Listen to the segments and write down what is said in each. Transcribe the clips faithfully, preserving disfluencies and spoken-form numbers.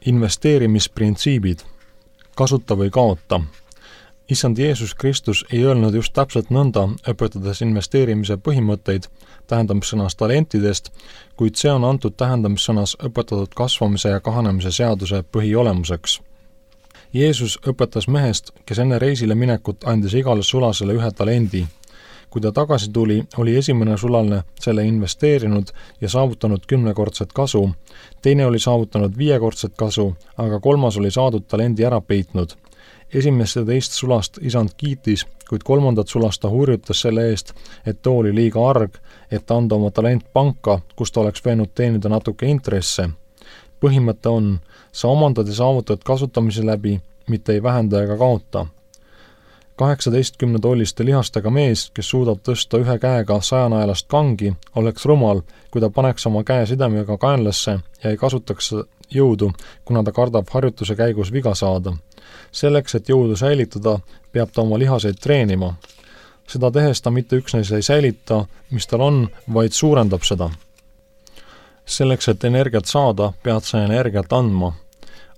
Investeerimisprintsiibid. Kasuta või kaota. Issand Jeesus Kristus ei öelnud just täpselt nõnda, õpetades investeerimise põhimõtteid tähendamissõnas talentidest, kuid see on antud tähendamissõnas õpetatud kasvamise ja kahanemise seaduse põhiolemuseks. Jeesus õpetas mehest, kes enne reisile minekut andis igale sulasele ühe talendi. Kui ta tagasi tuli, oli esimene sulaline selle investeerinud ja saavutanud kümnekordset kasu, teine oli saavutanud viiekordset kasu, aga kolmas oli saadud talendi ära peitnud. Esimest ja teist sulast isand kiitis, kuid kolmandat sulast ta hurjutas selle eest, et too oli liiga arg, et anda oma talent panka, kus ta oleks võinud teenida natuke intresse. Põhimõte on, sa omandad ja saavutad kasutamise läbi, mitte ei vähenda ega kaota. kaheksateistkümne tolliste lihastega mees, kes suudab tõsta ühe käega sajanaelast kangi, oleks rumal, kui ta paneks oma käe sidemega kaenlasse ja ei kasutaks jõudu, kuna ta kardab harjutuse käigus viga saada. Selleks, et jõudu säilitada, peab ta oma lihaseid treenima. Seda tehes ta mitte üksnes ei säilita, mis tal on, vaid suurendab seda. Selleks, et energiat saada, pead sa energiat andma.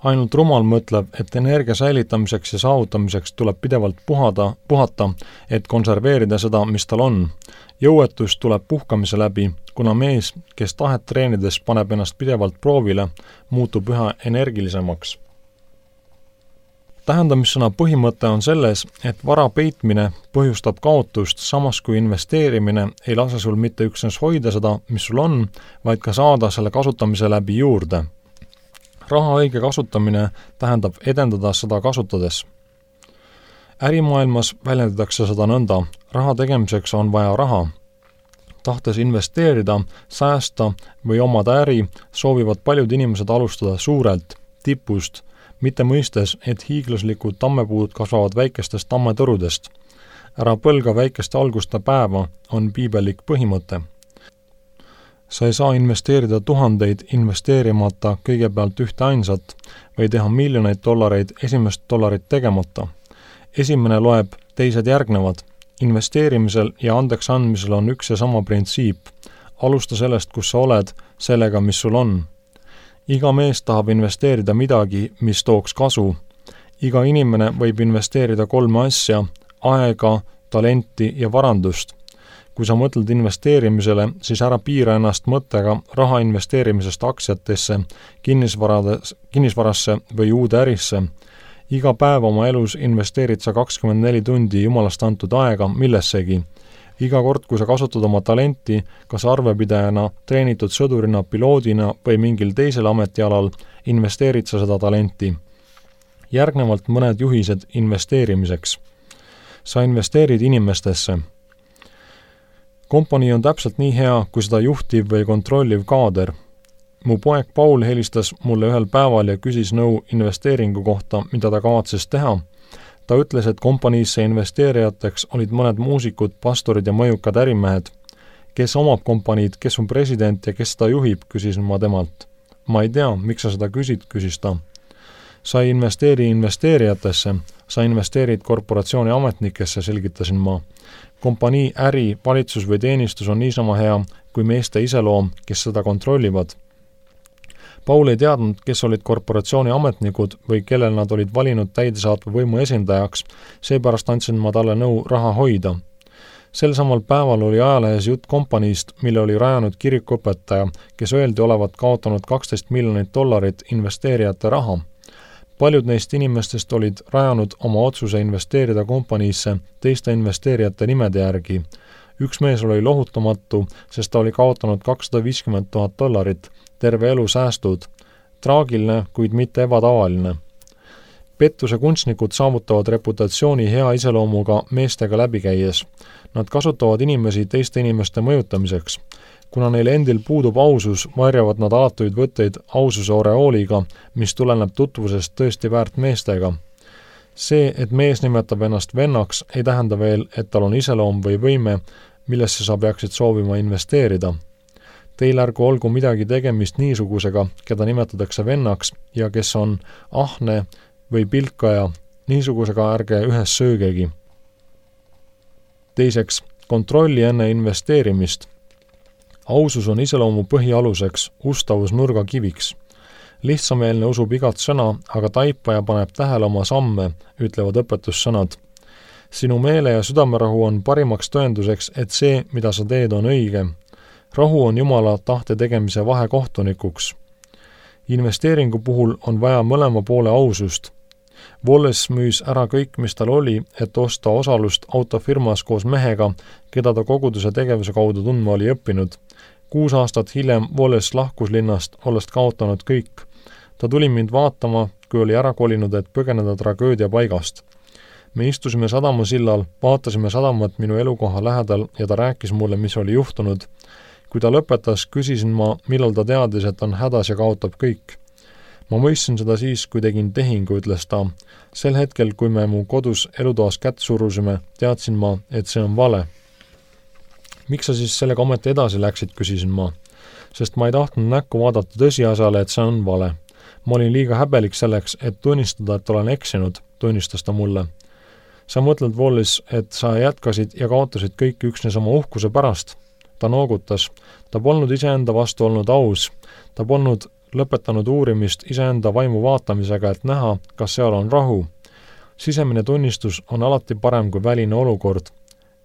Ainult rumal mõtleb, et energia säilitamiseks ja saavutamiseks tuleb pidevalt puhada, puhata, et konserveerida seda, mis tal on. Jõuetus tuleb puhkamise läbi, kuna mees, kes tahet treenides paneb ennast pidevalt proovile, muutub üha energilisemaks. Tähendamissõna põhimõte on selles, et vara peitmine põhjustab kaotust, samas kui investeerimine ei lase sul mitte üksnes hoida seda, mis sul on, vaid ka saada selle kasutamise läbi juurde. Raha õige kasutamine tähendab edendada seda kasutades. Ärimaailmas väljendatakse seda nõnda, raha tegemiseks on vaja raha. Tahtes investeerida, säästa või omada äri, soovivad paljud inimesed alustada suurelt, tipust, mitte mõistes, et hiiglaslikud tammepuud kasvavad väikestest tammetõrudest. Ära põlga väikeste alguste päeva on piibelik põhimõte. Sa ei saa investeerida tuhandeid investeerimata kõigepealt ühte ainsat või teha miljoneid dollareid esimest dollarit tegemata. Esimene loeb, teised järgnevad. Investeerimisel ja andeks andmisel on üks ja sama printsiip. Alusta sellest, kus sa oled, sellega, mis sul on. Iga mees tahab investeerida midagi, mis tooks kasu. Iga inimene võib investeerida kolme asja, aega, talenti ja varandust. Kui sa mõtled investeerimisele, siis ära piira ennast mõttega raha investeerimisest aktsiatesse, kinnisvarasse või uude ärisse. Iga päev oma elus investeerid sa kakskümmend neli tundi jumalast antud aega millessegi. Iga kord, kui sa kasutad oma talenti, kas arvepidajana, treenitud sõdurina, piloodina või mingil teisel ametialal, investeerid sa seda talenti. Järgnevalt mõned juhised investeerimiseks. Sa investeerid inimestesse. Kompanii on täpselt nii hea, kui seda juhtiv või kontrolliv kaader. Mu poeg Paul helistas mulle ühel päeval ja küsis nõu investeeringu kohta, mida ta kavatses teha. Ta ütles, et kompaniisse investeerijateks olid mõned muusikud, pastorid ja mõjukad ärimehed. Kes omab kompaniid, kes on president ja kes seda juhib, küsin ma temalt. Ma ei tea, miks sa seda küsid, küsis ta. Sa ei investeeri investeerijatesse, sa investeerid korporatsiooni ametnikesse, selgitasin ma. Kompanii, äri, valitsus või teenistus on niisama hea kui meeste iseloom, kes seda kontrollivad. Paul ei teadnud, kes olid korporatsiooni ametnikud või kellel nad olid valinud täidesaatva võimu esindajaks, seepärast andsin ma talle nõu raha hoida. Sel samal päeval oli ajalehes jutt kompaniist, mille oli rajanud kirikuõpetaja, kes öeldi olevat kaotanud kaksteist miljonit dollarit investeerijate raha. Paljud neist inimestest olid rajanud oma otsuse investeerida kompaniisse teiste investeerijate nimede järgi. Üks mees oli lohutamatu, sest ta oli kaotanud kakssada viiskümmend tuhat dollarit, terve elu säästud. Traagiline, kuid mitte ebatavaline. Pettuse kunstnikud saavutavad reputatsiooni hea iseloomuga meestega läbikäies. Nad kasutavad inimesi teiste inimeste mõjutamiseks. Kuna neil endil puudub ausus, varjavad nad alatuid võtteid aususe oreooliga, mis tuleneb tutvusest tõesti väärt meestega. See, et mees nimetab ennast vennaks, ei tähenda veel, et tal on iseloom või võime, millesse sa peaksid soovima investeerida. Teil ärgu olgu midagi tegemist niisugusega, keda nimetatakse vennaks ja kes on ahne või pilkaja, niisugusega ärge ühes söögegi. Teiseks, kontrolli enne investeerimist. Ausus on iseloomu põhialuseks, ustavus nurgakiviks. Lihtsameelne usub igat sõna, aga taipaja paneb tähele oma samme, ütlevad õpetussõnad. Sinu meele ja südamerahu on parimaks tõenduseks, et see, mida sa teed, on õige. Rahu on Jumala tahte tegemise vahekohtunikuks. Investeeringu puhul on vaja mõlema poole ausust. Wallace müüs ära kõik, mis tal oli, et osta osalust autofirmas koos mehega, keda ta koguduse tegevuse kaudu tundma oli õppinud. Kuus aastat hiljem Wallace lahkus linnast, olles kaotanud kõik. Ta tuli mind vaatama, kui oli ära kolinud, et põgeneda tragöödia paigast. Me istusime sadamasillal, vaatasime sadamat minu elukoha lähedal ja ta rääkis mulle, mis oli juhtunud. Kui ta lõpetas, küsisin ma, millal ta teadis, et on hädas ja kaotab kõik. Ma mõistsin seda siis, kui tegin tehingu, ütles ta. Sel hetkel, kui me mu kodus elutoas kätt surusime, teadsin ma, et see on vale. Miks sa siis sellega ometi edasi läksid, küsisin ma. Sest ma ei tahtnud näkku vaadata tõsiasjale, et see on vale. Ma olin liiga häbelik selleks, et tunnistada, et olen eksinud, tunnistas ta mulle. Sa mõtled, Wallace, et sa jätkasid ja kaotasid kõik üksnes oma uhkuse pärast. Ta noogutas. Ta polnud iseenda vastu olnud aus. Ta polnud lõpetanud uurimist iseenda vaimu vaatamisega, et näha, kas seal on rahu. Sisemine tunnistus on alati parem kui väline olukord.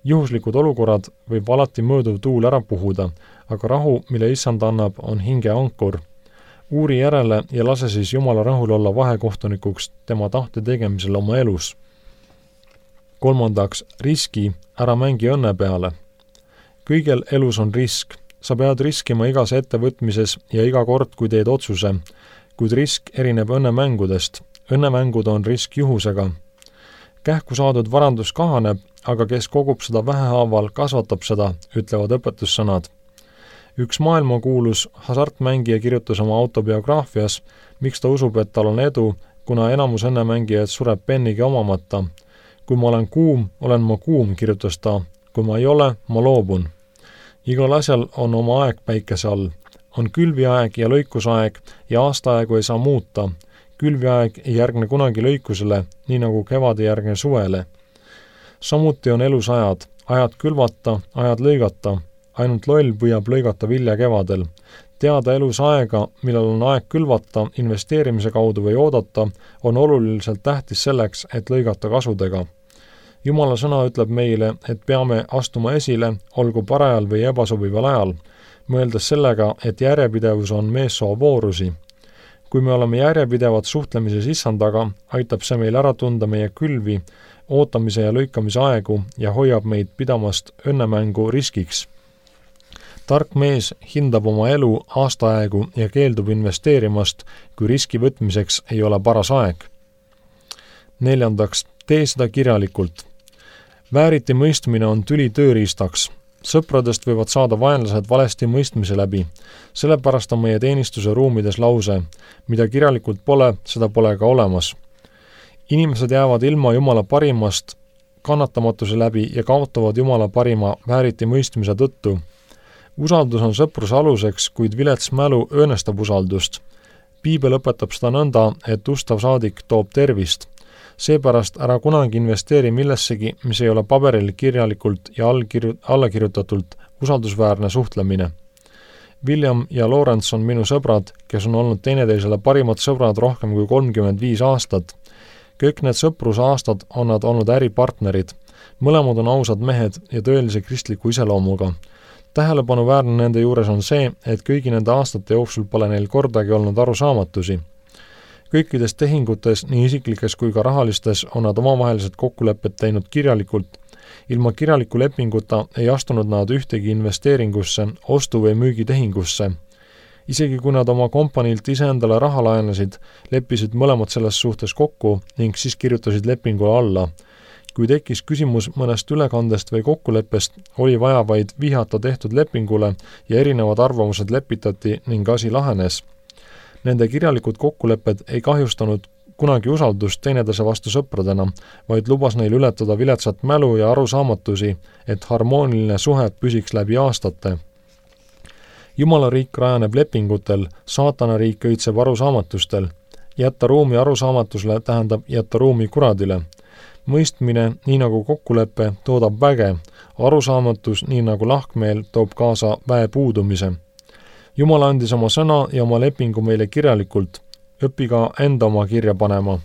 Juhuslikud olukorrad võib alati mööduv tuul ära puhuda, aga rahu, mille issand annab, on hinge ankur. Uuri järele ja lase siis Jumala rahul olla vahekohtunikuks tema tahte tegemisel oma elus. Kolmandaks, riski, ära mängi õnne peale. Kõigel elus on risk. Sa pead riskima igas ettevõtmises ja iga kord, kui teed otsuse, kuid risk erineb õnnemängudest. Õnnemängud on risk juhusega. Kähku saadud varandus kahaneb, aga kes kogub seda vähehaaval, kasvatab seda, ütlevad õpetussõnad. Üks maailmakuulus hasartmängija kirjutas oma autobiograafias, miks ta usub, et tal on edu, kuna enamus õnnemängijaid sureb pennigi omamata. Kui ma olen kuum, olen ma kuum, kirjutas ta. Kui ma ei ole, ma loobun. Igal asjal on oma aeg päikese all. On külviaeg ja lõikusaeg ja aastaaegu ei saa muuta. Külviaeg ei järgne kunagi lõikusele, nii nagu kevad ei järgne suvele. Samuti on elus ajad. Ajad külvata, ajad lõigata. Ainult loll püüab lõigata vilja kevadel. Teada elus aega, millal on aeg külvata, investeerimise kaudu või oodata, on oluliselt tähtis selleks, et lõigata kasudega. Jumala sõna ütleb meile, et peame astuma esile, olgu parajal või ebasobival ajal, mõeldes sellega, et järjepidevus on meessoo voorusi. Kui me oleme järjepidevad suhtlemises issandaga, aitab see meil ära tunda meie külvi, ootamise ja lõikamise aegu ja hoiab meid pidamast õnnemängu riskiks. Tark mees hindab oma elu aastaaegu ja keeldub investeerimast, kui riski võtmiseks ei ole paras aeg. Neljandaks, tee seda kirjalikult. Vääriti mõistmine on tüli tööriistaks. Sõpradest võivad saada vaenlased valesti mõistmise läbi. Sellepärast on meie teenistuse ruumides lause, mida kirjalikult pole, seda pole ka olemas. Inimesed jäävad ilma Jumala parimast kannatamatuse läbi ja kaotavad Jumala parima vääriti mõistmise tõttu. Usaldus on sõpruse aluseks, kuid vilets mälu õõnestab usaldust. Piibel õpetab seda nõnda, et ustav saadik toob tervist. Seepärast ära kunagi investeeri millessegi, mis ei ole paberil kirjalikult ja allkirju- allakirjutatult usaldusväärne suhtlemine. William ja Lawrence on minu sõbrad, kes on olnud teineteisele parimad sõbrad rohkem kui kolmkümmend viis aastat. Kõik need sõprusaastad on nad olnud äripartnerid. Mõlemad on ausad mehed ja tõelise kristliku iseloomuga. Tähelepanuväärne nende juures on see, et kõigi nende aastate jooksul pole neil kordagi olnud arusaamatusi. Kõikides tehingutes, nii isiklikes kui ka rahalistes, on nad omavahelised kokkulepped teinud kirjalikult. Ilma kirjaliku lepinguta ei astunud nad ühtegi investeeringusse, ostu- või müügitehingusse. Isegi kui nad oma kompaniilt iseendale raha laenasid, leppisid mõlemad selles suhtes kokku ning siis kirjutasid lepingule alla. Kui tekkis küsimus mõnest ülekandest või kokkuleppest, oli vaja vaid vihata tehtud lepingule ja erinevad arvamused lepitati ning asi lahenes. Nende kirjalikud kokkulepped ei kahjustanud kunagi usaldust teineteise vastu sõpradena, vaid lubas neil ületada viletsat mälu ja arusaamatusi, et harmooniline suhe püsiks läbi aastate. Jumala riik rajaneb lepingutel, saatana riik õitseb arusaamatustel. Jätta ruumi arusaamatusele tähendab jätta ruumi kuradile. Mõistmine, nii nagu kokkulepe, toodab väge. Arusaamatus, nii nagu lahkmeel, toob kaasa väe puudumise. Jumal andis oma sõna ja oma lepingu meile kirjalikult. õpi ka enda oma kirja panema.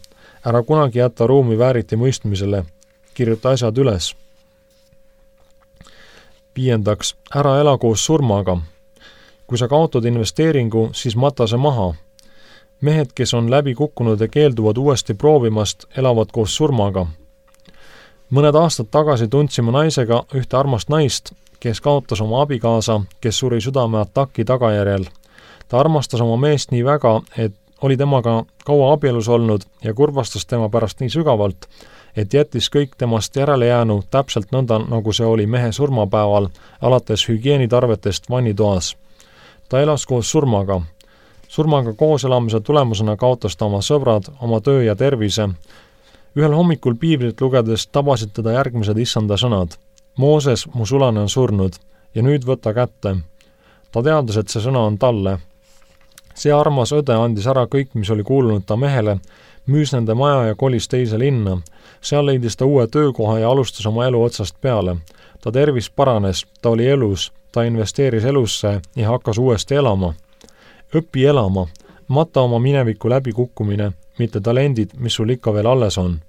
Ära kunagi jätta ruumi vääriti mõistmisele. Kirjuta asjad üles. Viiendaks, ära ela koos surmaga. Kui sa kaotad investeeringu, siis mata see maha. Mehed, kes on läbi kukkunud ja keelduvad uuesti proovimast, elavad koos surmaga. Mõned aastad tagasi tundsime naisega ühte armast naist, kes kaotas oma abikaasa, kes suri südameataki tagajärjel. Ta armastas oma meest nii väga, et oli temaga kaua abielus olnud ja kurvastas tema pärast nii sügavalt, et jättis kõik temast järele jäänu täpselt nõnda, nagu see oli mehe surmapäeval, alates hügieenitarvetest vannitoas. Ta elas koos surmaga. Surmaga koos elamise tulemusena kaotas ta oma sõbrad, oma töö ja tervise. Ühel hommikul piiblit lugedes tabasid teda järgmised issanda sõnad. Mooses, mu sulane on surnud ja nüüd võta kätte. Ta teadas, et see sõna on talle. See armas õde andis ära kõik, mis oli kuulunud ta mehele, müüs nende maja ja kolis teise linna. Seal leidis ta uue töökoha ja alustas oma elu otsast peale. Ta tervis paranes, ta oli elus, ta investeeris elusse ja hakkas uuesti elama. Õpi elama, mata oma mineviku läbikukkumine, mitte talendid, mis sul ikka veel alles on.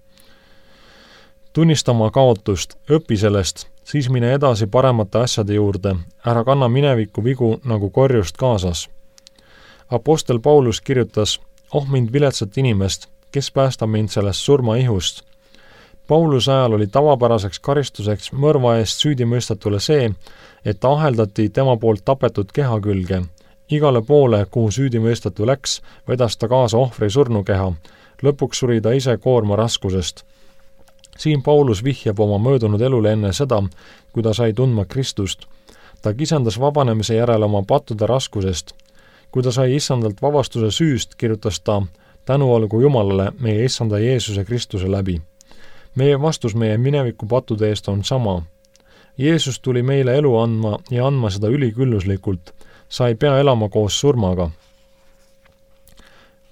Tunnista oma kaotust, õpi sellest, siis mine edasi paremate asjade juurde, ära kanna mineviku vigu nagu korjust kaasas. Apostel Paulus kirjutas, oh mind viletsat inimest, kes päästab mind sellest surmaihust. Pauluse ajal oli tavapäraseks karistuseks mõrva eest süüdimõistetule see, et ta aheldati tema poolt tapetud keha külge. Igale poole, kuhu süüdimõistetu läks, vedas ta kaasa ohvri surnukeha. Lõpuks suri ta ise koorma raskusest. Siin Paulus vihjab oma möödunud elule enne seda, kui ta sai tundma Kristust. Ta kisendas vabanemise järel oma pattude raskusest. Kui ta sai issandalt vabastuse süüst, kirjutas ta, tänu olgu Jumalale meie issanda Jeesuse Kristuse läbi. Meie vastus meie mineviku pattude eest on sama. Jeesus tuli meile elu andma ja andma seda ülikülluslikult. Sa ei pea elama koos surmaga.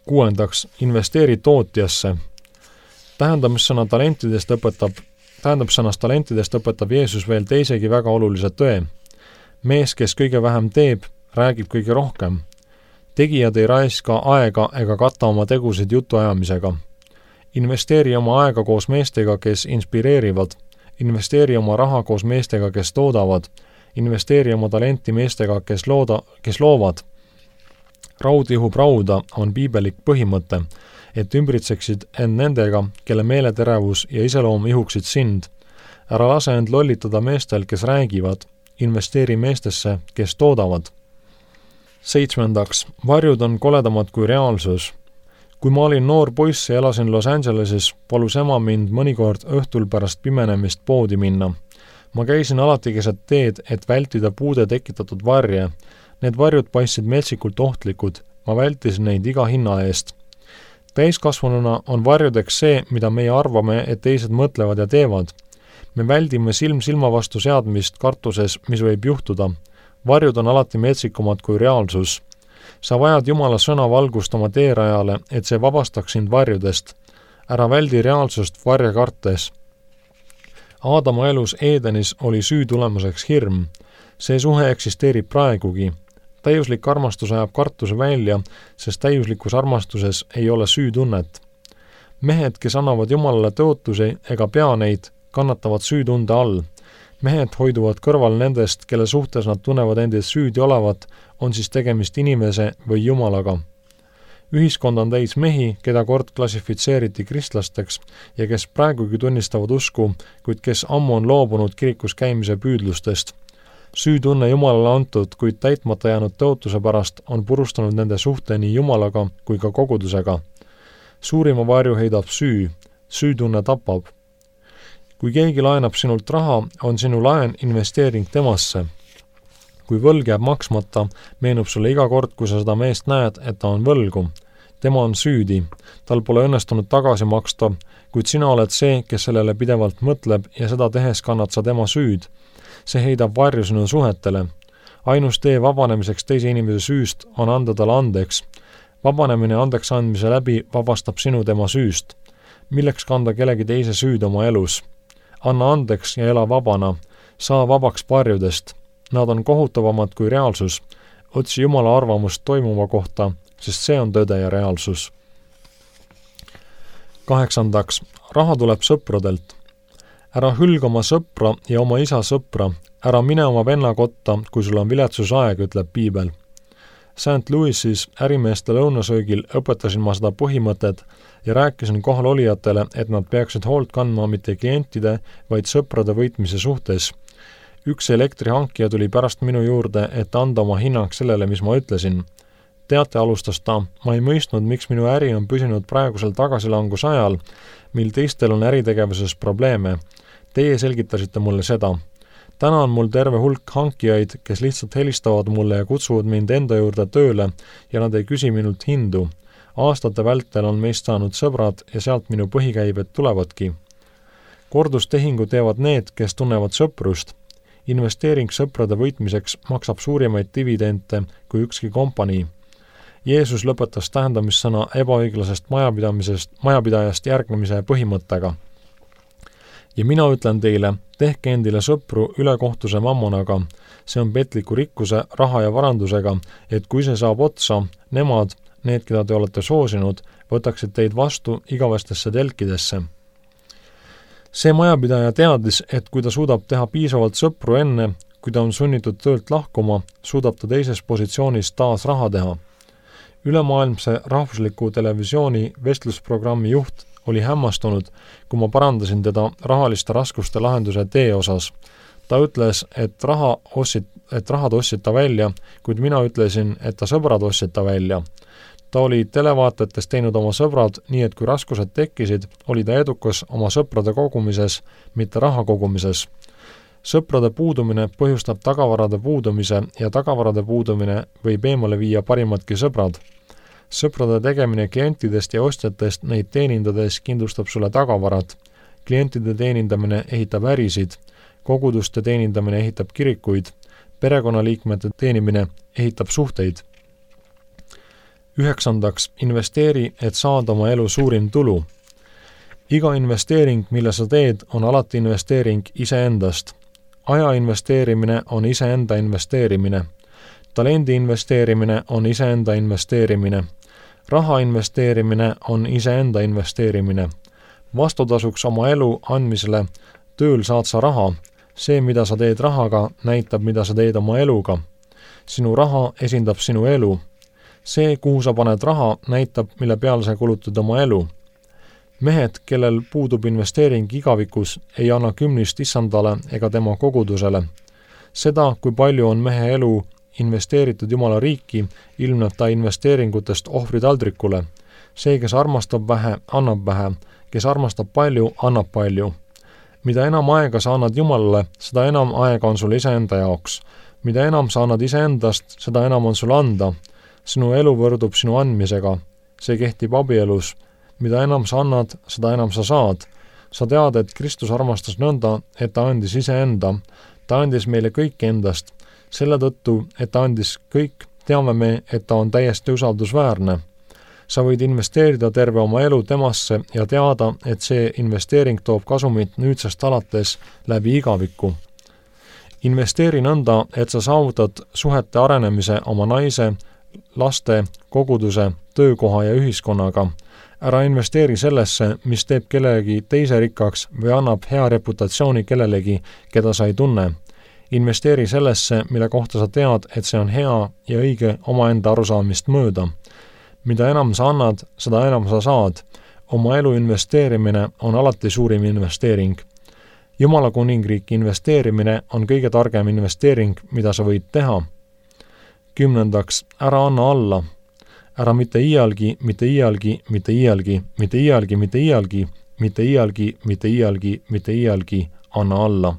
Kuuendaks, investeeri tootjasse. Tähendamissõna talentidest õpetab, tähendamissõnast talentidest õpetab Jeesus veel teisegi väga olulise tõe. Mees, kes kõige vähem teeb, räägib kõige rohkem. Tegijad ei raiska aega ega katta oma tegusid jutuajamisega. Investeeri oma aega koos meestega, kes inspireerivad. Investeeri oma raha koos meestega, kes toodavad. Investeeri oma talenti meestega, kes, looda, kes loovad. Raud ihub rauda on piibelik põhimõte, et ümbritseksid end nendega, kelle meeleterevus ja iseloom ihuksid sind. Ära lase end lollitada meestel, kes räägivad. Investeeri meestesse, kes toodavad. Seitsmendaks, varjud on koledamad kui reaalsus. Kui ma olin noor poiss ja elasin Los Angeleses, palus ema mind mõnikord õhtul pärast pimenemist poodi minna. Ma käisin alati keset teed, et vältida puude tekitatud varje. Need varjud paistsid metsikult ohtlikud. Ma vältisin neid iga hinna eest. Täiskasvanuna on varjudeks see, mida meie arvame, et teised mõtlevad ja teevad. Me väldime silm silma vastu seadmist kartuses, mis võib juhtuda. Varjud on alati metsikumad kui reaalsus. Sa vajad Jumala sõna valgust oma teerajale, et see vabastaks sind varjudest. Ära väldi reaalsust varje kartes. Aadama elus Edenis oli süü tulemuseks hirm. See suhe eksisteerib praegugi. Täiuslik armastus ajab kartuse välja, sest täiuslikus armastuses ei ole süütunnet. Mehed, kes annavad Jumalale tõotusi ega pea neid, kannatavad süütunde all. Mehed hoiduvad kõrval nendest, kelle suhtes nad tunnevad endid süüdi olevat, on siis tegemist inimese või Jumalaga. Ühiskond on täis mehi, keda kord klassifitseeriti kristlasteks ja kes praegugi tunnistavad usku, kuid kes ammu on loobunud kirikus käimise püüdlustest. Süütunne Jumalale antud, kuid täitmata jäänud tõotuse pärast on purustanud nende suhte nii Jumalaga kui ka kogudusega. Suurima varju heidab süü, süütunne tapab. Kui keegi laenab sinult raha, on sinu laen investeering temasse. Kui võlg jääb maksmata, meenub sulle iga kord, kui sa seda meest näed, et ta on võlgu. Tema on süüdi, tal pole õnnestunud tagasi maksta, kuid sina oled see, kes sellele pidevalt mõtleb ja seda tehes kannad sa tema süüd. See heidab varju sinu suhetele. Ainus tee vabanemiseks teise inimese süüst on anda talle andeks. Vabanemine andeks andmise läbi vabastab sinu tema süüst. Milleks kanda kellegi teise süüd oma elus? Anna andeks ja ela vabana. Saa vabaks varjudest. Nad on kohutavamad kui reaalsus. Otsi Jumala arvamust toimuva kohta, sest see on tõde ja reaalsus. kaheksandaks, raha tuleb sõpradelt. Ära hülga oma sõpra ja oma isa sõpra, ära mine oma venna kotta, kui sul on viletsusaeg, ütleb piibel. Saint Louisis ärimeeste lõunasöögil õpetasin ma seda põhimõtet ja rääkisin kohal olijatele, et nad peaksid hoolt kandma mitte klientide, vaid sõprade võitmise suhtes. Üks elektrihankija tuli pärast minu juurde, et anda oma hinnang sellele, mis ma ütlesin. Teate, alustas ta, ma ei mõistnud, miks minu äri on püsinud praegusel tagasilangus ajal, mil teistel on äritegevuses probleeme. Teie selgitasite mulle seda. Täna on mul terve hulk hankijaid, kes lihtsalt helistavad mulle ja kutsuvad mind enda juurde tööle ja nad ei küsi minult hindu. Aastate vältel on meist saanud sõbrad ja sealt minu põhikäibed tulevadki. Kordustehingu teevad need, kes tunnevad sõprust. Investeering sõprade võitmiseks maksab suurimaid dividente kui ükski kompanii. Jeesus lõpetas tähendamissõna ebaõiglasest majapidamisest, majapidajast järgnemise põhimõttega. Ja mina ütlen teile, tehke endile sõpru ülekohtuse mammonaga, see on petliku rikkuse, raha ja varandusega, et kui see saab otsa, nemad, need, keda te olete soosinud, võtaksid teid vastu igavestesse telkidesse. See majapidaja teadis, et kui ta suudab teha piisavalt sõpru enne, kui ta on sunnitud töölt lahkuma, suudab ta teises positsioonis taas raha teha. Ülemaailmse rahvusliku televisiooni vestlusprogrammi juht oli hämmastunud, kui ma parandasin teda rahaliste raskuste lahenduse tee osas. Ta ütles, et, raha ossid, et rahad ossid ta välja, kuid mina ütlesin, et ta sõbrad ossid ta välja. Ta oli televaatetes teinud oma sõbrad, nii et kui raskused tekkisid, oli ta edukas oma sõprade kogumises, mitte raha kogumises. Sõprade puudumine põhjustab tagavarade puudumise ja tagavarade puudumine võib eemale viia parimadki sõbrad. Sõprade tegemine klientidest ja ostjatest neid teenindades kindlustab sulle tagavarad. Klientide teenindamine ehitab ärisid, koguduste teenindamine ehitab kirikuid, perekonnaliikmete teenimine ehitab suhteid. Üheksandaks, investeeri, et saada oma elu suurim tulu. Iga investeering, mille sa teed, on alati investeering iseendast. Aja investeerimine on iseenda investeerimine. Talendi investeerimine on iseenda investeerimine. Raha investeerimine on iseenda investeerimine. Vastutasuks oma elu andmisele tööl saad sa raha. See, mida sa teed rahaga, näitab, mida sa teed oma eluga. Sinu raha esindab sinu elu. See, kuhu sa paned raha, näitab, mille peale sa kulutad oma elu. Mehed, kellel puudub investeering igavikus, ei anna kümnist issandale ega tema kogudusele. Seda, kui palju on mehe elu investeeritud Jumala riiki, ilmneb ta investeeringutest ohvritaldrikule. See, kes armastab vähe, annab vähe. Kes armastab palju, annab palju. Mida enam aega sa annad Jumalale, seda enam aega on sul iseenda jaoks. Mida enam sa annad iseendast, seda enam on sul anda. Sinu elu võrdub sinu andmisega. See kehtib abielus. Mida enam sa annad, seda enam sa saad. Sa tead, et Kristus armastas nõnda, et ta andis iseenda. Ta andis meile kõik endast. Selle tõttu, et ta andis kõik, teame me, et ta on täiesti usaldusväärne. Sa võid investeerida terve oma elu temasse ja teada, et see investeering toob kasumit nüüdsest alates läbi igaviku. Investeeri nõnda, et sa saavutad suhete arenemise oma naise, laste, koguduse, töökoha ja ühiskonnaga. Ära investeeri sellesse, mis teeb kellegi teise rikkaks või annab hea reputatsiooni kellelegi, keda sa ei tunne. Investeeri sellesse, mille kohta sa tead, et see on hea ja õige omaenda arusaamist mööda. Mida enam sa annad, seda enam sa saad. Oma elu investeerimine on alati suurim investeering. Jumala kuningriiki investeerimine on kõige targem investeering, mida sa võid teha. Kümnendaks, ära anna alla. Ära mitte iialgi, mitte iialgi, mitte iialgi, mitte iialgi, mitte iialgi, mitte iialgi, mitte iialgi, mitte iialgi anna alla.